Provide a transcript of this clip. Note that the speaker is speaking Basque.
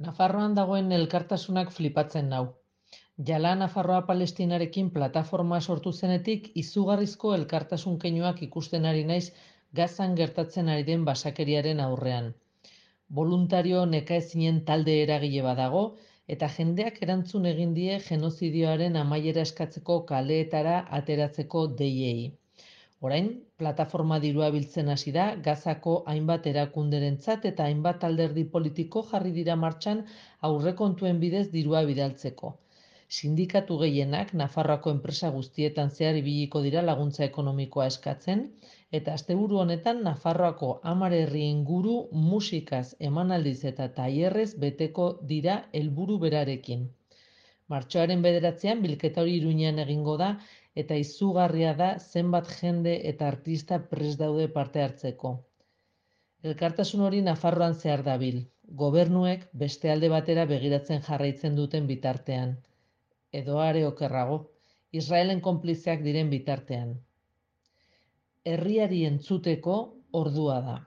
Nafarroan dagoen elkartasunak flipatzen nau. Jala Nafarroa Palestinarekin plataforma sortu zenetik izugarrizko elkartasun keinuak ikusten ari naiz Gazan gertatzen ari den basakeriaren aurrean. Boluntario nekaezinen talde eragile badago eta jendeak erantzun egin die genozidioaren amaiera eskatzeko kaleetara ateratzeko deiei. Orain, plataforma dirua biltzen hasi da Gazako hainbat erakunderentzat eta hainbat alderdi politiko jarri dira martxan aurrekontuen bidez dirua bidaltzeko. Sindikatu gehienak Nafarroako enpresa guztietan zehar ibiliko dira laguntza ekonomikoa eskatzen, eta asteburu honetan Nafarroako 10 herri inguru musikaz, emanaldiz eta tailerrez beteko dira helburu berarekin. Martxoaren 9an bilketa hori Iruñean egingo da eta izugarria da zenbat jende eta artista prest daude parte hartzeko. Elkartasun hori Nafarroan zehar dabil, gobernuek beste alde batera begiratzen jarraitzen duten bitartean. Edo are okerrago, Israelen konplizeak diren bitartean. Herriari entzuteko ordua da.